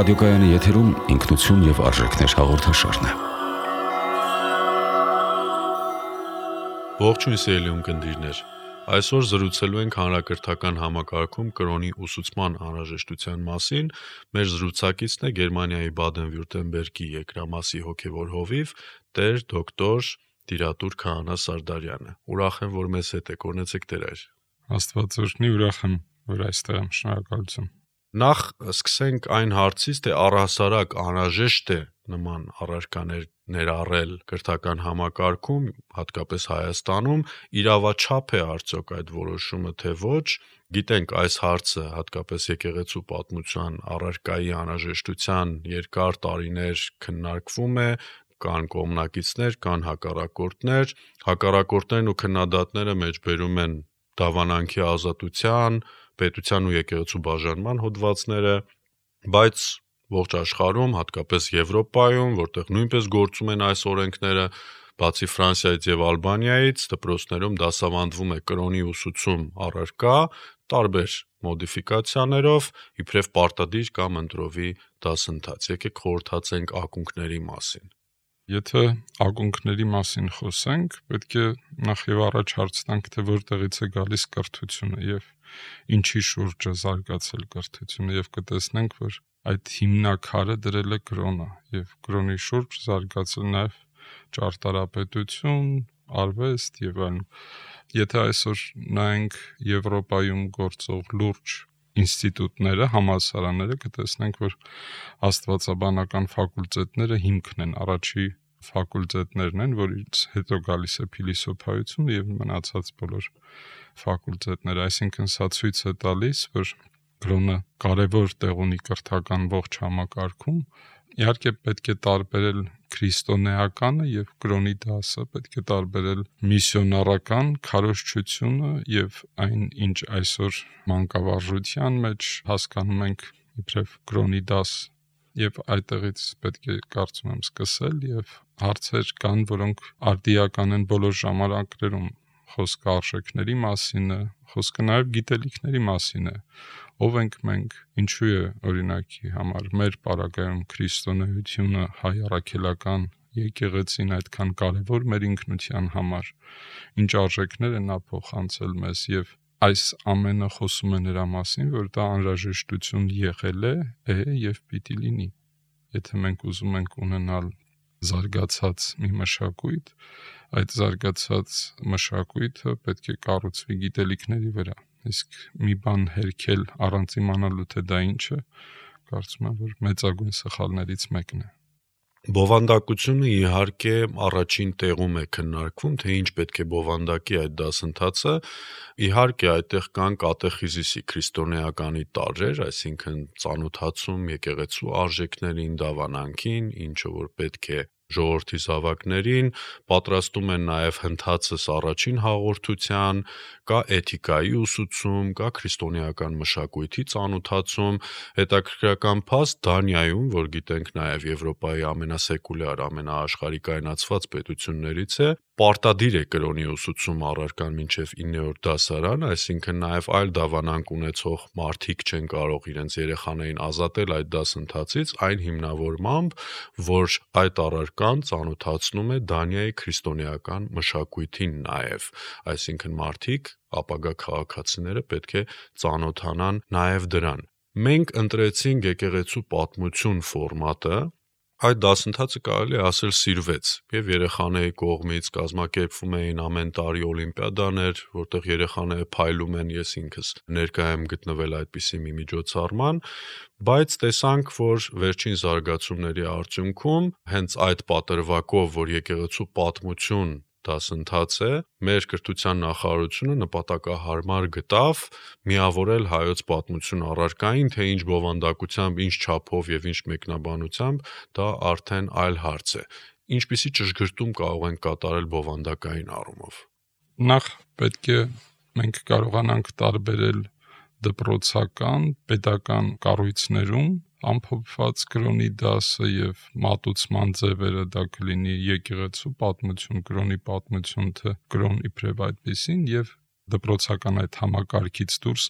Ռադիոկայանի եթերում ինքնություն եւ արժեքներ հաղորդաշարն է։ Ողջույն սիրելի ունկնդիրներ։ Այսօր զրուցելու ենք հանրակրթական համակարգում կրոնի ուսուցման անհրաժեշտության մասին։ Մեր զրուցակիցն է Գերմանիայի Բադեն-Վյուրտեմբերգի եկրամասի հոգևոր հովիվ Տեր դոկտոր Տիրատուր Քահանա Սարդարյանը։ Ուրախ եմ, որ մեզ հետ եք, օրհնեցեք Տեր այր։ Աստված օրհնի, ուրախ եմ, որ այստեղ եմ, շնորհակալություն։ Նախ սկսենք այն հարցից, թե առհասարակ անհրաժեշտ է նման առարկաներ ներառել կրթական համակարգում, հատկապես Հայաստանում, իրավաչափ է արդյոք այդ որոշումը, թե ոչ։ Գիտենք, այս հարցը հատկապես եկեղեցու պատմության առարկայի անհրաժեշտության երկար տարիներ քննարկվում է, կան կողմնակիցներ, կան հակառակորդներ։ Հակառակորդներն ու քննադատները մեջբերում են դավանանքի ազատության, պետության ու եկեղեցու բաժանման հոդվածները, բայց ողջ աշխարհում, հատկապես Եվրոպայում, որտեղ նույնպես գործում են այս օրենքները, բացի Ֆրանսիայից եւ Ալբանիայից, դպրոցներում դասավանդվում է կրոնի ուսուցում առարկա, տարբեր մոդիֆիկացիաներով, իբրև պարտադիր կամ ընտրովի դասընթաց։ Եկեք խորհրդացենք ակունքների մասին։ Եթե ակունքների մասին խոսենք, պետք է նախ եւ առաջ հարց տանք, թե որտեղից է գալիս կրթությունը եւ ինչի շուրջ է զարգացել կրթությունը, եւ կտեսնենք, որ այդ հիմնաքարը դրել է կրոնը եւ կրոնի շուրջ զարգացել նաեւ ճարտարապետություն, արվեստ եւ այլն։ Եթե այսօր նայենք Եվրոպայում գործող լուրջ ինստիտուտները, համալսարանները, կտեսնենք, որ աստվածաբանական ֆակուլտետները հիմքն են, առաջի ֆակուլտետներն են, որից հետո գալիս է փիլիսոփայությունը եւ մնացած բոլոր ֆակուլտետները, այսինքն սա ցույց է տալիս, որ կրոնը կարևոր տեղ ունի կրթական ողջ համակարգում։ Իհարկե պետք է տարբերել քրիստոնեականը եւ կրոնի դասը, պետք է տարբերել միսիոնարական քարոզչությունը եւ այն, ինչ այսօր մանկավարժության մեջ հասկանում ենք իբրև կրոնի դաս, եւ այդտեղից պետք է կարծում եմ սկսել եւ հարցեր կան, որոնք արդիական են բոլոր ժամանակներում, խոսքը արժեքների մասին է, խոսքը նաեւ գիտելիքների մասին է, ով ենք մենք, ինչու է օրինակի համար մեր պարագայում քրիստոնեությունը, հայ առաքելական եկեղեցին այդքան կարևոր մեր ինքնության համար, ինչ արժեքներ են նա փոխանցել մեզ եւ այս ամենը խոսում է նրա մասին, որ դա անհրաժեշտություն եղել է եւ պիտի լինի։ Եթե մենք ուզում ենք ունենալ զարգացած մի մշակույթ, այդ զարգացած մշակույթը պետք է կառուցվի գիտելիքների վրա։ Իսկ մի բան հերքել առանց իմանալու թե դա ինչ է, կարծում եմ, որ մեծագույն սխալներից մեկն է։ Բովանդակությունը իհարկե առաջին տեղում է քննարկվում, թե ինչ պետք է բովանդակի այդ դասընթացը։ Իհարկե այդտեղ կան կատեխիզիսի քրիստոնեականի տարրեր, այսինքն ծանոթացում եկեղեցու արժեքներին, դավանանքին, ինչը որ պետք է ժողովրդի զավակներին, պատրաստում են նաև հնդածս առաջին հաղորդության, կա էթիկայի ուսուցում, կա քրիստոնեական մշակույթի ծանոթացում, հետաքրքրական փաստ Դանիայում, որ գիտենք նաև Եվրոպայի ամենասեկուլյար, ամենաաշխարհիկայնացված պետություններից է, պարտադիր է կրոնի ուսուցում առարկան մինչև 9-րդ դասարան, այսինքն նաև այլ դավանանք ունեցող մարդիկ չեն կարող իրենց երեխաներին ազատել այդ դասընթացից, այն հիմնավորմամբ, որ այդ առարկան ծանոթացնում է Դանիայի քրիստոնեական մշակույթին նաև, այսինքն մարդիկ, ապագա քաղաքացիները պետք է ծանոթանան նաև դրան։ Մենք ընտրեցինք եկեղեցու պատմություն ֆորմատը, այդ դասընթացը կարելի է ասել սիրվեց եւ երեխաների կողմից կազմակերպվում էին ամեն տարի օլիմպիադաներ, որտեղ երեխաները փայլում են, ես ինքս ներկայ եմ գտնվել այդպիսի մի միջոցառման, բայց տեսանք, որ վերջին զարգացումների արդյունքում հենց այդ պատրվակով, որ եկեղեցու պատմություն դասընթաց է, մեր կրթության նախարարությունը նպատակահարմար գտավ միավորել հայոց պատմություն առարկային, թե ինչ բովանդակությամբ, ինչ չափով եւ ինչ մեկնաբանությամբ, դա արդեն այլ հարց է։ Ինչպիսի ճշգրտում կարող ենք կատարել բովանդակային առումով։ Նախ պետք է մենք կարողանանք տարբերել դպրոցական, պետական կառույցներում ամփոփված կրոնի դասը եւ մատուցման ձևերը, դա կլինի եկեղեցու պատմություն, կրոնի պատմություն, թե կրոն իբրև այդպեսին եւ դպրոցական այդ համակարգից դուրս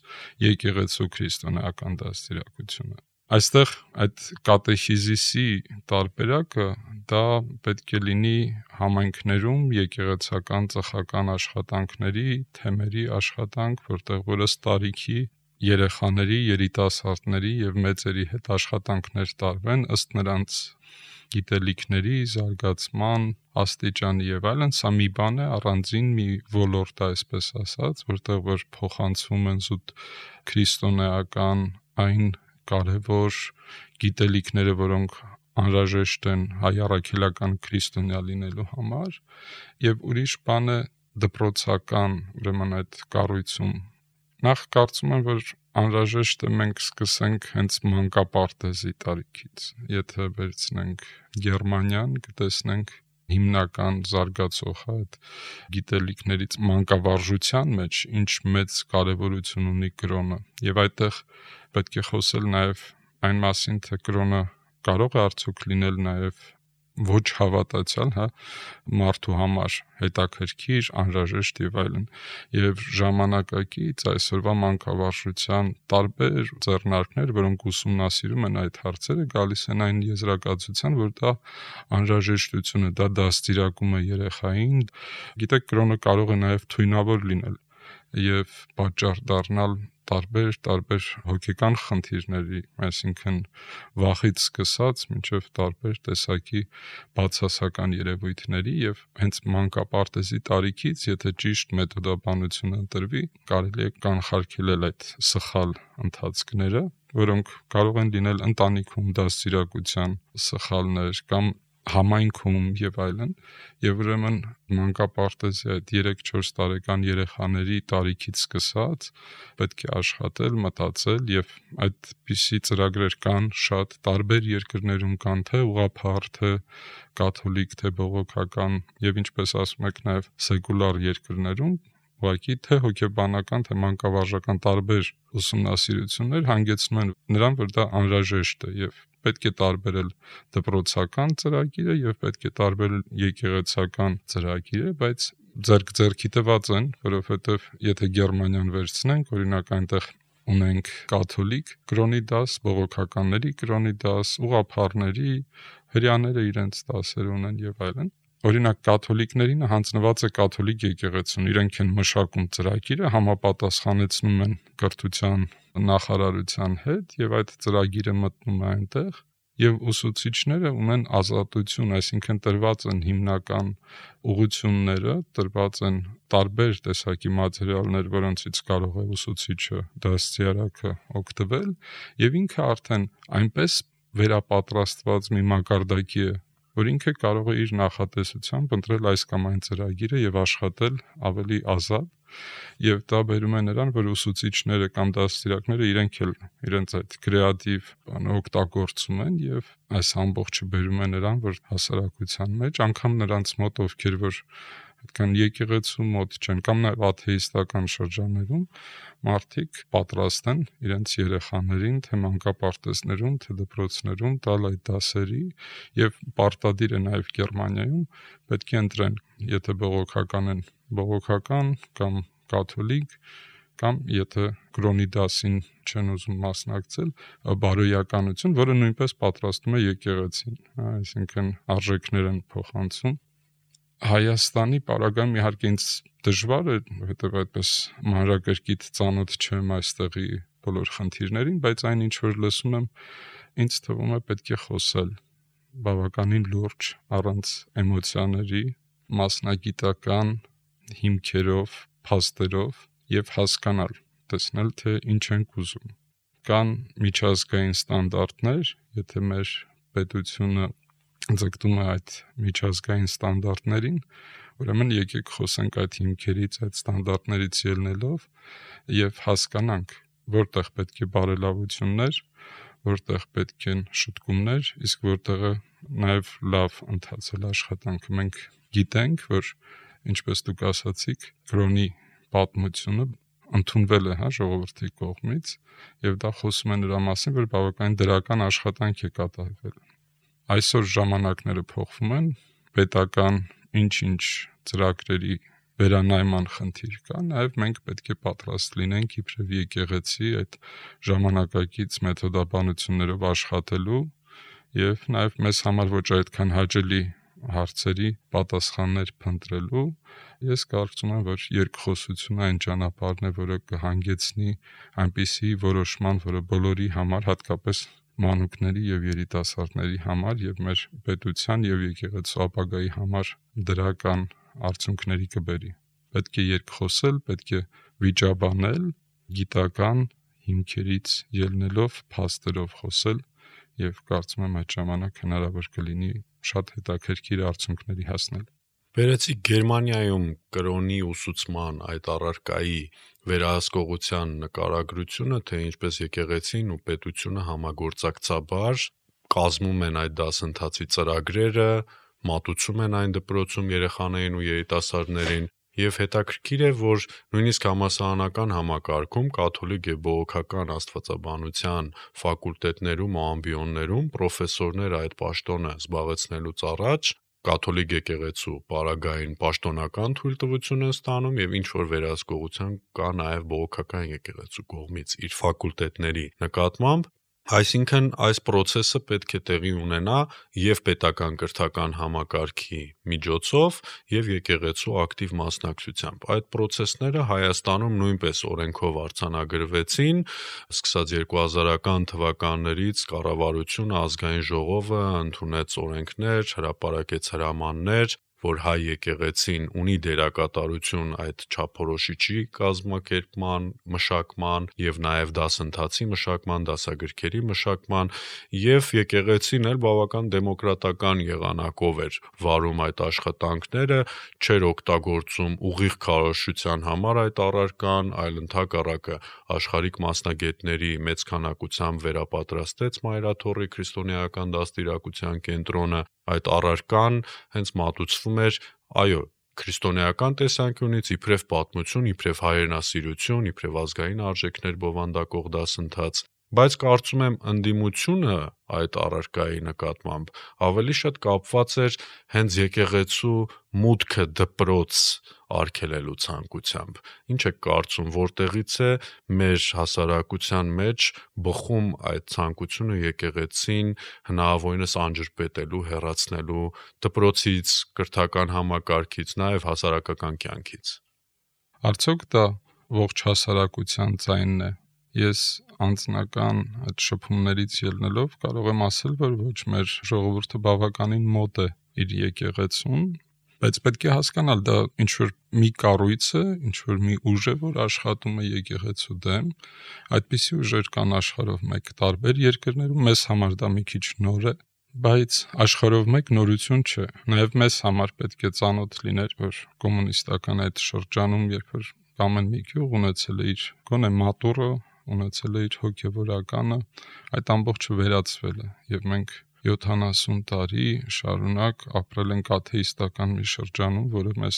եկեղեցու քրիստոնեական դաստիարակությունը։ Այստեղ այդ կատեխիզիսի տարբերակը դա պետք է լինի համայնքներում եկեղեցական ծխական աշխատանքների թեմերի աշխատանք, որտեղ որս տարիքի երեխաների, երիտասարդների եւ մեծերի հետ աշխատանքներ տարվեն ըստ նրանց գիտելիքների, զարգացման, աստիճանի եւ այլն, սա մի բան է, առանձին մի ոլորտ է, այսպես ասած, որտեղ որ փոխանցվում են զուտ քրիստոնեական այն կարևոր գիտելիքները, որոնք անհրաժեշտ են հայ առաքելական քրիստոնյա լինելու համար, եւ ուրիշ բան է դպրոցական, ուրեմն այդ կառույցում։ Նախ կարծում եմ, որ անհրաժեշտ է մենք սկսենք հենց մանկապարտեզի տարիքից։ Եթե վերցնենք Գերմանիան, կտեսնենք հիմնական զարգացող այդ գիտելիքներից մանկավարժության մեջ ինչ մեծ կարևորություն ունի կրոնը։ Եվ այդտեղ պետք է խոսել նաև այն մասին, թե կրոնը կարող է արդյոք լինել նաև ոչ հավատացյալ, մարդու համար հետաքրքիր, անհրաժեշտ եւ այլն։ Եվ ժամանակակից այսօրվա մանկավարժության տարբեր ձեռնարկներ, որոնք ուսումնասիրում են այդ հարցերը, գալիս են այն եզրակացության, որ դա անհրաժեշտություն է, դա դաստիարակում է երեխային։ Գիտեք, կրոնը կարող է նաև թույնավոր լինել եւ պատճառ դառնալ տարբեր հոգեկան խնդիրների, այսինքն վախից սկսած մինչև տարբեր տեսակի բացասական երևույթների, եւ հենց մանկապարտեզի տարիքից, եթե ճիշտ մեթոդաբանություն ընտրվի, կարելի է կանխարգելել այդ սխալ ընթացքները, որոնք կարող են լինել ընտանիքում դաստիարակության սխալներ կամ համայնքում եւ այլն, եւ ուրեմն մանկապարտեզի այդ 3-4 տարեկան երեխաների տարիքից սկսած պետք է աշխատել, մտածել, եւ այդպիսի ծրագրեր կան շատ տարբեր երկրներում, կան թե ուղղափառ, թե կաթոլիկ, թե բողոքական, եւ ինչպես ասում եք նաեւ սեկուլար երկրներում, ուղղակի թե հոգեբանական, թե մանկավարժական տարբեր ուսումնասիրություններ հանգեցնում են նրան, որ դա անհրաժեշտ է եւ պետք է տարբերել դպրոցական ծրագիրը եւ պետք է տարբերել եկեղեցական ծրագիրը, բայց ձեռքի տված են, որովհետեւ եթե Գերմանիան վերցնենք, օրինակ այնտեղ ունենք կաթոլիկ կրոնի դաս, բողոքականների կրոնի դաս, ուղղափառների, հրեաները իրենց դասեր ունեն եւ այլն։ Օրինակ կաթոլիկներին հանձնված է կաթոլիկ եկեղեցուն, իրենք են մշակում ծրագիրը, համապատասխանեցնում են կրթության նախարարության հետ եւ այդ ծրագիրը մտնում է այնտեղ եւ ուսուցիչները ունեն ազատություն, այսինքն տրված են հիմնական ուղղությունները, տրված են տարբեր տեսակի մատերիալներ, որոնցից կարող է ուսուցիչը, դաստիարակը օգտվել եւ ինքը արդեն այնպես վերապատրաստված մի մակարդակի է, որ ինքը կարող է իր նախատեսությամբ ընտրել այս կամ այն ծրագիրը եւ աշխատել ավելի ազատ, եւ դա բերում է նրան, որ ուսուցիչները կամ դաստիարակները իրենց այդ կրեատիվ բանը օգտագործում են եւ այս ամբողջը բերում է նրան, որ հասարակության մեջ անգամ նրանց մոտ, ովքեր որ այդքան եկեղեցու մոտ չեն կամ նաեւ աթեիստական շրջաններում մարդիկ պատրաստ են իրենց երեխաներին թե մանկապարտեզներում, թե դպրոցներում տալ այդ դասերի եւ պարտադիր է նաեւ Գերմանիայում պետք է ընտրեն, եթե բողոքական են, բողոքական կամ կաթոլիկ կամ եթե կրոնի դասին չեն ուզում մասնակցել, բարոյականություն, որը նույնպես պատրաստում է եկեղեցին, այսինքն արժեքներ են փոխանցում։ Հայաստանի պարագայում իհարկե ինձ դժվար է, որովհետև այդպես մանրակրկիտ ծանոթ չեմ այստեղի բոլոր խնդիրներին, բայց այն ինչ որ լսում եմ, ինձ թվում է պետք է խոսել բավականին լուրջ, առանց էմոցիաների, մասնագիտական հիմքերով, փաստերով եւ հասկանալ, տեսնել թե ինչ ենք ուզում։ Կան միջազգային ստանդարտներ, եթե մեր պետությունը ձգտում է այդ միջազգային ստանդարտներին, ուրեմն եկեք խոսենք այդ հիմքերից, այդ ստանդարտներից ելնելով եւ հասկանանք, որտեղ պետք է բարելավություններ, որտեղ պետք են շտկումներ, իսկ որտեղը նաեւ լավ ընթացել աշխատանքը։ Մենք գիտենք, որ ինչպես դուք ասացիք, կրոնի պատմությունը ընդունվել է ժողովրդի կողմից եւ դա խոսում է նրա մասին, որ բավականին դրական աշխատանք է կատարվել։ Այսօր ժամանակները փոխվում են, պետական ինչ-ինչ ծրագրերի վերանայման խնդիր կա, նաև մենք պետք է պատրաստ լինենք իբրև եկեղեցի այդ ժամանակակից մեթոդաբանություններով աշխատելու եւ նաև մեզ համար ոչ այդքան հաճելի հարցերի պատասխաններ փնտրելու։ Ես կարծում եմ, որ երկխոսությունը այն ճանապարհն է, որը կհանգեցնի այնպիսի որոշման, որը բոլորի համար, հատկապես մանուկների եւ երիտասարդների համար եւ մեր պետության եւ եկեղեցու ապագայի համար դրական արդյունքների կբերի։ Պետք է երկխոսել, պետք է վիճաբանել, գիտական հիմքերից ելնելով, փաստերով խոսել եւ կարծում եմ այդ ժամանակ հնարավոր կլինի շատ հետաքրքիր արդյունքների հասնել։ Վերեցի Գերմանիայում կրոնի ուսուցման այդ առարկայի վերահսկողության նկարագրությունը, թե ինչպես եկեղեցին ու պետությունը համագործակցաբար կազմում են այդ դասընթացի ծրագրերը, մատուցում են այն դպրոցում երեխաներին ու երիտասարդներին, եւ հետաքրքիր է, որ նույնիսկ համալսարանական համակարգում կաթոլիկ եւ բողոքական աստվածաբանության ֆակուլտետներում ու ամբիոններում պրոֆեսորները այդ պաշտոնը զբաղեցնելուց առաջ կաթոլիկ եկեղեցու պարագային պաշտոնական թույլտվություն են ստանում եւ ինչ որ վերահսկողության կա նաեւ բողոքական եկեղեցու կողմից իր ֆակուլտետների նկատմամբ, այսինքն այս process-ը պետք է տեղի ունենա եւ պետական կրթական համակարգի միջոցով եւ եկեղեցու ակտիվ մասնակցությամբ։ Այդ process-ները Հայաստանում նույնպես օրենքով արձանագրվեցին, սկսած 2000-ական թվականներից կառավարությունը, ազգային ժողովը ընդունեց օրենքներ, հրապարակեց հրամաններ, որ հայ եկեղեցին ունի դերակատարություն այդ չափորոշիչի կազմակերպման, մշակման եւ նաեւ դասընթացի մշակման, դասագրքերի մշակման եւ եկեղեցին էլ բավական դեմոկրատական եղանակով էր վարում այդ աշխատանքները, չէր օգտագործում ուղիղ քարոզչության համար այդ առարկան, այլ ընդհակառակը աշխարհիկ մասնագետների մեծ քանակությամբ վերապատրաստեց Մայրաթոռի քրիստոնեական դաստիարակության կենտրոնը, այդ առարկան հենց մատուցվում էր, այո, քրիստոնեական տեսանկյունից իբրև պատմություն, իբրև հայրենասիրություն, իբրև ազգային արժեքներ բովանդակող դասընթաց, բայց կարծում եմ ընդդիմությունը այդ առարկայի նկատմամբ ավելի շատ կապված էր հենց եկեղեցու մուտքը դպրոց արգելելու ցանկությամբ։ Ինչ եք կարծում, որտեղից է մեր հասարակության մեջ բխում այդ ցանկությունը եկեղեցին հնարավորինս անջրպետելու, հեռացնելու դպրոցից, կրթական համակարգից, նաև հասարակական կյանքից։ Արդյոք դա ողջ հասարակության ձայնն է։ Ես անձնական այդ շփումներից ելնելով կարող եմ ասել, որ ոչ մեր ժողովուրդը բավականին մոտ է իր եկեղեցուն, բայց պետք է հասկանալ, դա ինչ-որ մի կառույց է, ինչ-որ մի ուժ է, որ աշխատում է եկեղեցու դեմ, այդպիսի ուժեր կան աշխարհով մեկ տարբեր երկրներում, մեզ համար դա մի քիչ նոր է, բայց աշխարհով մեկ նորություն չէ, նաև մեզ համար պետք է ծանոթ լիներ, որ կոմունիստական այդ շրջանում, երբ որ ամեն մի գյուղ ունեցել է իր գոնե մատուռը, ունեցել է իր հոգևորականը, այդ ամբողջը վերացվել է եւ մենք 70 տարի շարունակ ապրել ենք աթեիստական մի շրջանում, որը մեզ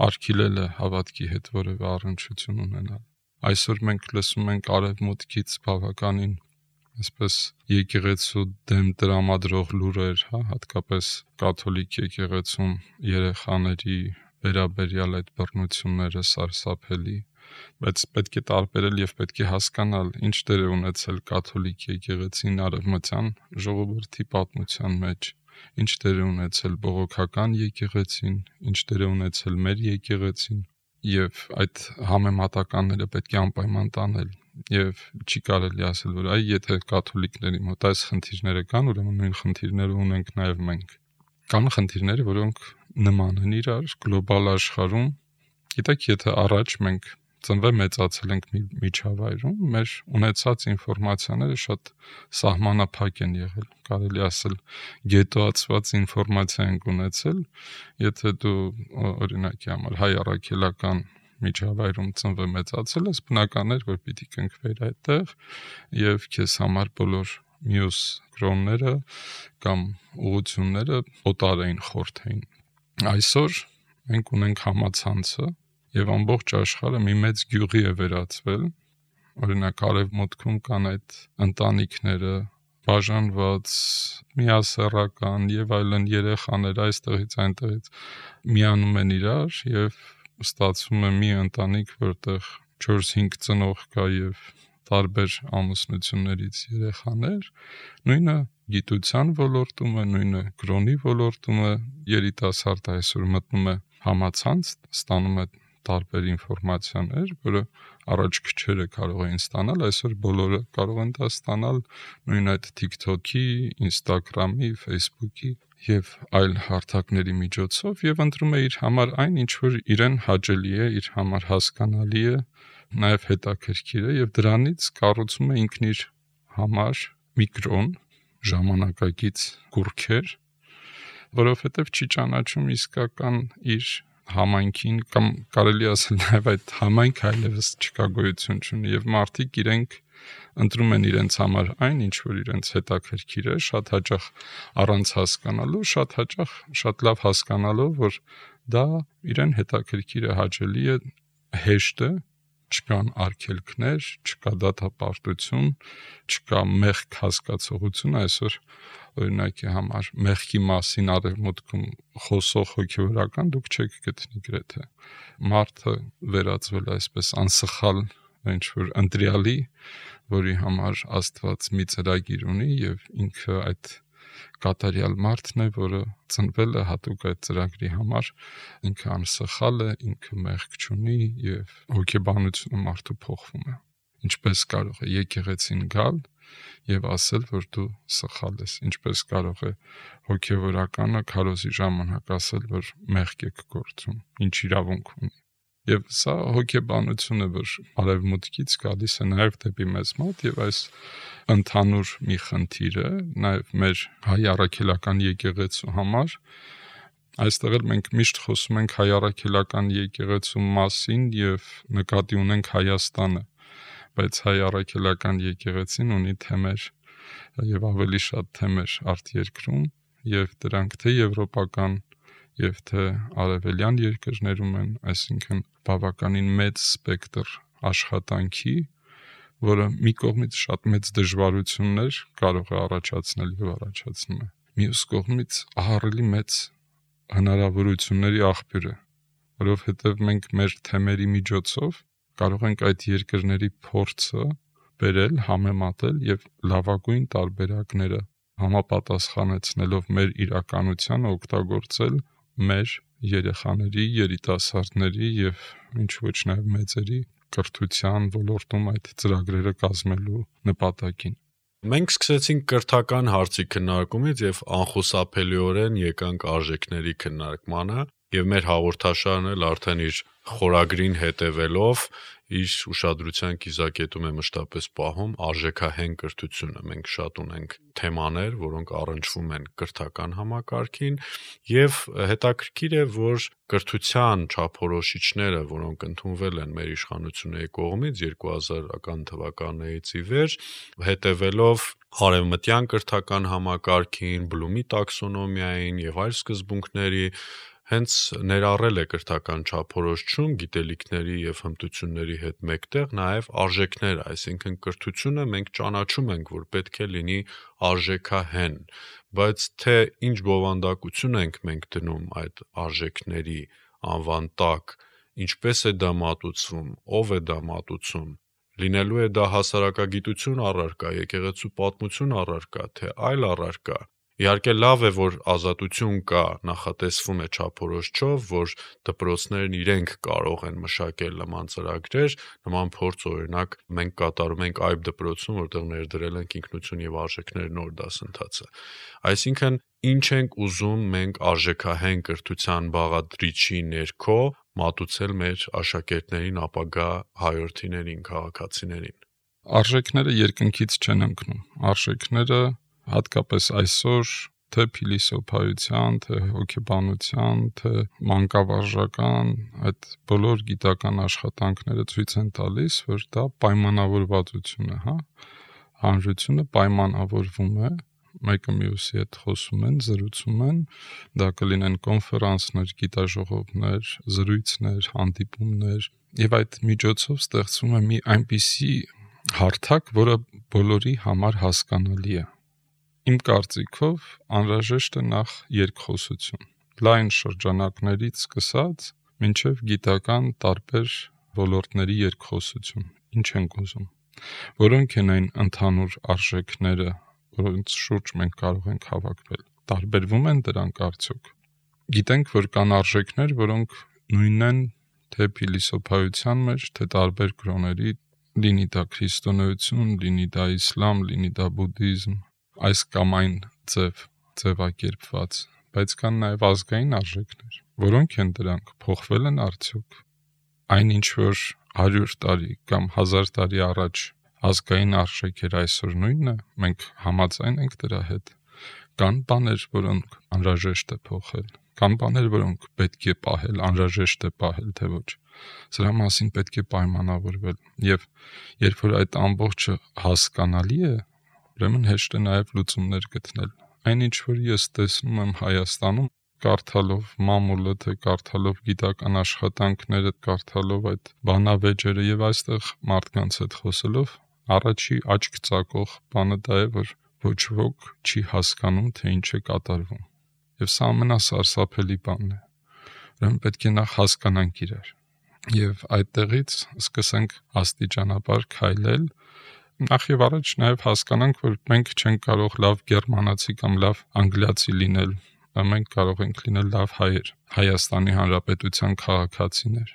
արգելել է հավատքի հետ որևէ առնչություն ունենալ։ Այսօր մենք լսում ենք արևմուտքից բավականին այսպես եկեղեցու դեմ տրամադրող լուրեր, հատկապես կաթոլիկ եկեղեցում երեխաների վերաբերյալ այդ բռնությունները սարսափելի, բայց պետք է տարբերել եւ պետք է հասկանալ ինչ դեր է ունեցել կաթոլիկ եկեղեցին արևմտյան ժողովրդի պատմության մեջ, ինչ դեր է ունեցել բողոքական եկեղեցին, ինչ դեր է ունեցել մեր եկեղեցին եւ այդ համեմատականները պետք է անպայման տանել եւ չի կարելի ասել, որ այ եթե կաթոլիկների մոտ այս խնդիրները կան, ուրեմն նույն խնդիրները ունենք նաեւ մենք։ Կան խնդիրներ, որոնք նման են իրար գլոբալ աշխարհում։ Գիտեք, եթե առաջ մենք մեծացել ենք մի միջավայրում, մեր ունեցած ինֆորմացիաները շատ սահմանափակ են եղել, կարելի ասել գետոացված ինֆորմացիա ենք ունեցել, եթե դու օրինակի համար հայ առաքելական միջավայրում մեծացել ես, բնական էր, որ պիտի կնքվեր այդտեղ եւ քեզ համար բոլոր մյուս կրոնները կամ ուղղությունները օտար էին, խորթ էին։ Այսօր մենք ունենք համացանցը եւ ամբողջ աշխարհը մի մեծ գյուղի է վերածվել, օրինակ արևմուտքում կան այդ ընտանիքները, բաժանված, միասեռական եւ այլն երեխաներ այստեղից այնտեղից միանում են իրար եւ ստացվում է մի ընտանիք, որտեղ 4-5 ծնող կա եւ տարբեր ամուսնություններից երեխաներ, նույնը գիտության ոլորտում է, նույնը կրոնի ոլորտում է, երիտասարդը այսօր մտնում է համացանց, ստանում է տարբեր ինֆորմացիաներ, որը առաջ քչերը կարող էին ստանալ, այսօր բոլորը կարող են դա ստանալ նույն այդ TikTok-ի, Instagram-ի, Facebook-ի եւ այլ հարթակների միջոցով եւ ընտրում է իր համար այն, ինչ որ իրեն հաճելի է, իր համար հասկանալի է, նաեւ հետաքրքիր է եւ դրանից կառուցում է ինքն իր համար մի կրոն, ժամանակակից կուռքեր, որովհետեւ չի ճանաչում իսկական իր համայնքին կամ կարելի ասել նաև այդ համայնքը այլևս չկա, գոյություն չունի եւ մարդիկ իրենք ընտրում են իրենց համար այն, ինչ որ իրենց հետաքրքիր է, շատ հաճախ առանց հասկանալու, շատ հաճախ շատ լավ հասկանալով, որ դա իրեն հետաքրքիր է, հաճելի է, հեշտ է, չկան արգելքներ, չկա դատապարտություն, չկա մեղք հասկացողություն, այսօր օրինակի համար մեղքի մասին արևմուտքում խոսող հոգևորական դուք չեք գտնի գրեթե մարդը վերածվել այսպես անսխալ ինչ-որ ընտրյալի, որի համար Աստված մի ծրագիր ունի եւ ինքը այդ կատարյալ մարդն է, որը ծնվել է հատուկ այդ ծրագրի համար, ինքը անսխալ է, ինքը մեղք չունի եւ հոգեբանությունը մարդու փոխվում է։ Ինչպես կարող է եկեղեցին գալ եւ ասել, որ դու սխալ ես, ինչպես կարող է հոգևորականը քարոզի ժամանակ ասել, որ մեղք եք գործում, ինչ իրավունք ունի։ Եվ սա հոգեբանություն է, որ արևմուտքից գալիս է նաեւ դեպի մեզ մոտ եւ այս ընդհանուր մի խնդիր է նաեւ մեր հայ առաքելական եկեղեցու համար։ Այստեղ էլ մենք միշտ խոսում ենք հայ առաքելական եկեղեցու մասին եւ նկատի ունենք Հայաստանը, բայց հայ առաքելական եկեղեցին ունի թեմեր եւ ավելի շատ թեմեր արտերկրում եւ դրանք թե եվրոպական եւ թե արևելյան երկրներում են, այսինքն բավականին մեծ սպեկտր աշխատանքի, որը մի կողմից շատ մեծ դժվարություններ կարող է առաջացնել եւ առաջացնում է։ Մյուս կողմից ահռելի մեծ հնարավորությունների աղբյուր է, որովհետեւ մենք մեր թեմերի միջոցով կարող ենք այդ երկրների փորձը բերել, համեմատել եւ լավագույն տարբերակները համապատասխանեցնելով մեր իրականությանը օգտագործել մեր երեխաների, երիտասարդների եւ ինչ ոչ նաեւ մեծերի կրթության ոլորտում այդ ծրագրերը կազմելու նպատակին։ Մենք սկսեցինք կրթական հարցի քննարկումից եւ անխուսափելիորեն եկանք արժեքների քննարկմանը եւ մեր հաղորդաշարն էլ արդեն իր խորագրին հետևելով իր ուշադրության կիզակետում է մշտապես պահում արժեքահեն կրթությունը։ Մենք շատ ունենք թեմաներ, որոնք առնչվում են կրթական համակարգին եւ հետաքրքիր է, որ կրթության չափորոշիչները, որոնք ընդունվել են մեր իշխանությունների կողմից 2000-ական թվականներից ի վեր, հետևելով արևմտյան կրթական համակարգին, Բլումի տաքսոնոմիային եւ այլ սկզբունքների հենց ներառել է կրթական չափորոշիչում գիտելիքների եւ հմտությունների հետ մեկտեղ նաեւ արժեքները, այսինքն կրթությունը մենք ճանաչում ենք, որ պետք է լինի արժեքահեն, բայց թե ինչ բովանդակություն ենք մենք դնում այդ արժեքների անվան տակ, ինչպես է դա մատուցվում, ով է դա մատուցում, լինելու է դա հասարակագիտություն առարկա, եկեղեցու պատմություն առարկա, թե այլ առարկա։ Իհարկե լավ է, որ ազատություն կա, նախատեսվում է չափորոշիչով, որ դպրոցներն իրենք կարող են մշակել նման ծրագրեր, նման փորձ օրինակ մենք կատարում ենք այբ դպրոցում, որտեղ ներդրել ենք ինքնություն եւ արժեքներ նոր դասընթացը։ Այսինքն ինչ ենք ուզում մենք արժեքահեն կրթության բաղադրիչի ներքո մատուցել մեր աշակերտներին, ապագա հայրենիներին, քաղաքացիներին։ Արժեքները երկնքից չեն ընկնում։ Արժեքները հատկապես այսօր թե փիլիսոփայության, թե հոգեբանության, թե մանկավարժական, այդ բոլոր գիտական աշխատանքները ցույց են տալիս, որ դա պայմանավորվածություն է, հա։ Հանրությունը պայմանավորվում է, մեկը մյուսի հետ խոսում են, զրուցում են, դա կլինեն կոնֆերանսներ, գիտաժողովներ, զրույցներ, հանդիպումներ, եւ այդ միջոցով ստեղծվում է մի այնպիսի հարթակ, որը բոլորի համար հասկանալի է։ Իմ կարծիքով անհրաժեշտ է նախ երկխոսություն։ Լայն շրջանակներից սկսած մինչև գիտական տարբեր ոլորտների երկխոսություն։ Ինչ ենք ուզում։ Որոնք են այն ընդհանուր արժեքները, որոնց շուրջ մենք կարող ենք հավաքվել։ Տարբերվում են դրանք արդյոք։ Գիտենք, որ կան արժեքներ, որոնք նույնն են թե փիլիսոփայության մեջ, թե տարբեր կրոնների, լինի դա քրիստոնեություն, լինի դա իսլամ, լինի դա բուդդիզմ, այս կամ այն ձևակերպված, բայց կան նաև ազգային արժեքներ։ Որոնք են դրանք, փոխվել են արդյոք։ Այն ինչ որ 100 տարի կամ 1000 տարի առաջ ազգային արժեք էր, այսօր նույնն է, մենք համաձայն ենք դրա հետ։ Կան բաներ, որոնք անհրաժեշտ է փոխել, կան բաներ, որոնք պետք է պահել, անհրաժեշտ է պահել, թե ոչ։ Սրա մասին պետք է պայմանավորվել, եւ երբ որ այդ ամբողջը հասկանալի է, ուրեմն հեշտ է նաև լուծումներ գտնել։ Այնինչ որ ես տեսնում եմ Հայաստանում, կարդալով մամուլը, թե կարդալով գիտական աշխատանքները, կարդալով այդ բանավեճերը եւ այստեղ մարդկանց հետ խոսելով, առաջի աչք ծակող բանը դա է, որ ոչ ոք չի հասկանում, թե ինչ է կատարվում։ Եվ սա ամենասարսափելի բանն է։ Ուրեմն պետք է նախ հասկանանք իրար։ Եվ այդտեղից սկսենք աստիճանաբար քայլել, նախ եւ առաջ նաեւ հասկանանք, որ մենք չենք կարող լավ գերմանացի կամ լավ անգլիացի լինել, մենք կարող ենք լինել լավ հայեր, Հայաստանի Հանրապետության քաղաքացիներ։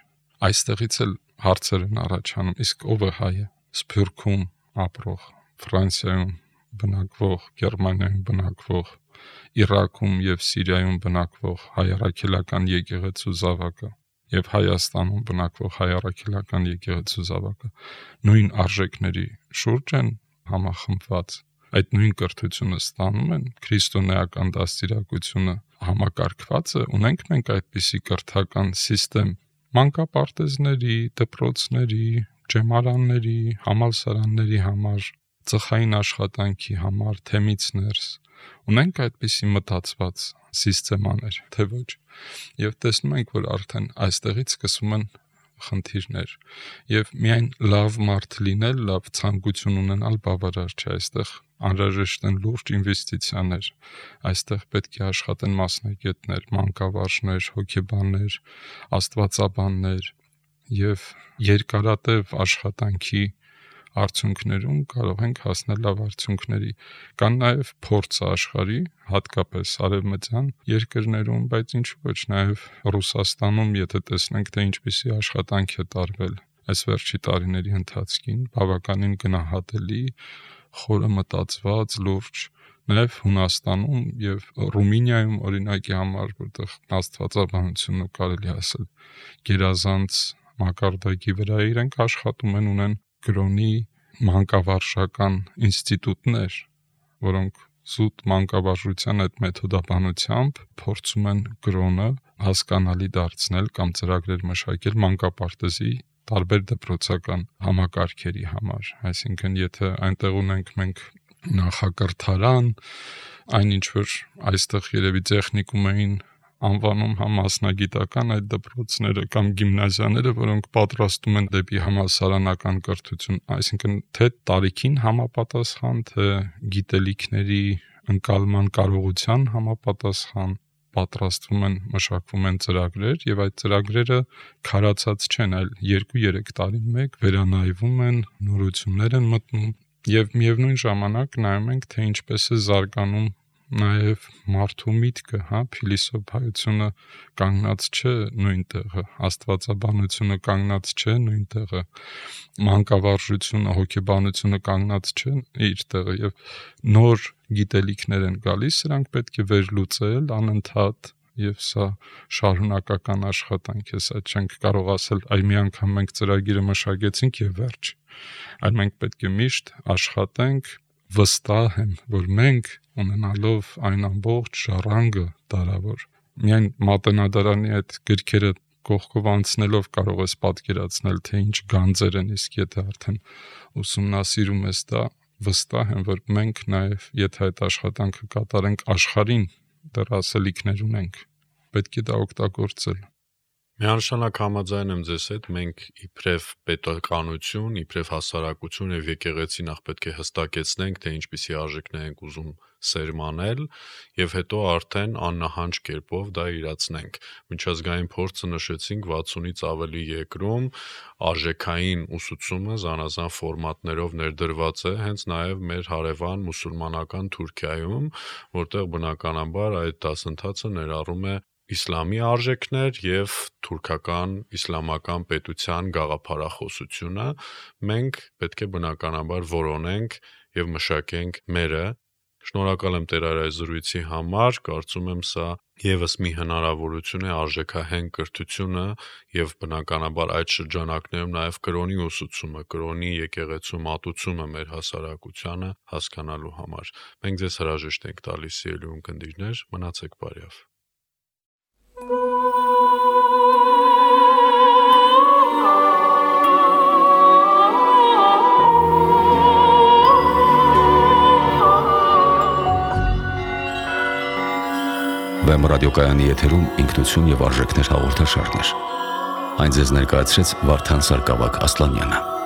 Այստեղից էլ հարցեր են առաջանում, իսկ ով է հայը։ Սփյուռքում ապրող, Ֆրանսիայում բնակվող, Գերմանիայում բնակվող, Իրաքում եւ Սիրիայում բնակվող հայ առաքելական եկեղեցու զավակը եւ Հայաստանում բնակվող հայ առաքելական եկեղեցու զավակը նույն արժեքների շուրջ են համախմբված, այդ նույն կրթությունը ստանում են, քրիստոնեական դաստիարակությունը համակարգված է, ունենք մենք այդպիսի կրթական համակարգ, մանկապարտեզների, դպրոցների, ջեմարանների, համալսարանների համար, ծխային աշխատանքի համար, թեմից ներս, ունենք այդպիսի մտածված համակարգեր, թե ոչ։ Եվ տեսնում ենք, որ արդեն այստեղից սկսում են խնդիրներ։ Եվ միայն լավ մարդ լինել, լավ ցանկություն ունենալ բավարար չէ, այստեղ անհրաժեշտ են լուրջ ինվեստիցիաներ, այստեղ պետք է աշխատեն մասնագետներ, մանկավարժներ, հոգեբաններ, աստվածաբաններ եւ երկարատև աշխատանքի արդյունքներում կարող ենք հասնել լավ արդյունքների։ Կան նաև փորձը աշխարհի, հատկապես արևմտյան երկրներում, բայց ինչու ոչ նաև Ռուսաստանում, եթե տեսնենք, թե ինչպիսի աշխատանք է տարվել այս վերջի տարիների ընթացքին, բավականին գնահատելի, խորը մտածված, լուրջ, նաև Հունաստանում եւ Ռումինիայում օրինակի համար, որտեղ աստվածաբանությունը կարելի ասել գերազանց մակարդակի վրա իրենք աշխատում են, ունեն կրոնի մանկավարժական ինստիտուտներ, որոնք զուտ մանկավարժության այդ մեթոդաբանությամբ փորձում են կրոնը հասկանալի դարձնել կամ ծրագրեր մշակել մանկապարտեզի տարբեր դպրոցական համակարգերի համար։ Այսինքն, եթե այնտեղ ունենք մենք նախակրթարան, այնինչ որ այստեղ երևի տեխնիկում էին անվանում համասնագիտական այդ դպրոցները կամ գիմնազիաները, որոնք պատրաստում են դեպի համալսարանական կրթություն, այսինքն թե տարիքին համապատասխան, թե գիտելիքների ընկալման կարողության համապատասխան պատրաստվում են, մշակվում են ծրագրեր եւ այդ ծրագրերը քարացած չեն, այլ 2-3 տարին մեկ վերանայվում են, նորություններ են մտնում եւ միևնույն ժամանակ նայում ենք, թե ինչպես է զարգանում նաև մարդու միտքը, փիլիսոփայությունը կանգնած չէ նույն տեղը, աստվածաբանությունը կանգնած չէ նույն տեղը, մանկավարժությունը, հոգեբանությունը կանգնած չէ իր տեղը եւ նոր գիտելիքներ են գալիս, սրանք պետք է վերլուծել անընդհատ եւ սա շարունակական աշխատանք է, սա չենք կարող ասել, այ մի անգամ մենք ծրագիրը մշակեցինք եւ վերջ, այլ մենք պետք է միշտ աշխատենք, վստահ եմ, որ մենք ունենալով այն ամբողջ ժառանգը դարավոր, միայն մատենադարանի այդ գրքերը կողքով անցնելով կարող ես պատկերացնել, թե ինչ գանձեր են, իսկ եթե արդեն ուսումնասիրում ես դա, վստահ եմ, որ մենք նաև, եթե այդ աշխատանքը կատարենք աշխարհին, դեռ ասելիքներ ունենք, պետք է դա օգտագործել։ Միանշանակ համաձայն եմ ձեզ հետ, մենք իբրև պետականություն, իբրև հասարակություն եւ եկեղեցի նախ պետք է հստակեցնենք, թե ինչպիսի արժեքներ ենք ուզում սերմանել եւ հետո արդեն աննահանջ կերպով դա իրացնենք։ Միջազգային փորձը նշեցինք 60-ից ավելի երկրում արժեքային ուսուցումը զանազան ֆորմատներով ներդրված է, հենց նաեւ մեր հարևան մուսուլմանական Թուրքիայում, որտեղ բնականաբար այդ դասընթացը ներառում է իսլամի արժեքներ եւ թուրքական իսլամական պետության գաղափարախոսությունը, մենք պետք է բնականաբար որոնենք եւ մշակենք մերը։ Շնորհակալ եմ Տեր այս զրույցի համար, կարծում եմ սա եւս մի հնարավորություն է արժեքահեն կրթությունը եւ բնականաբար այդ շրջանակներում նաեւ կրոնի ուսուցումը, կրոնի եկեղեցու մատուցումը մեր հասարակությանը հասկանալու համար։ Մենք ձեզ հրաժեշտ ենք տալիս, սիրելի ունկնդիրներ, մնացեք բարյավ։ Վեմ ռադիոկայանի եթերում ինքնություն եւ արժեքներ հաղորդաշարներ։ Այն ձեզ ներկայացրեց Վարդան Սարգսակ Ասլանյանը։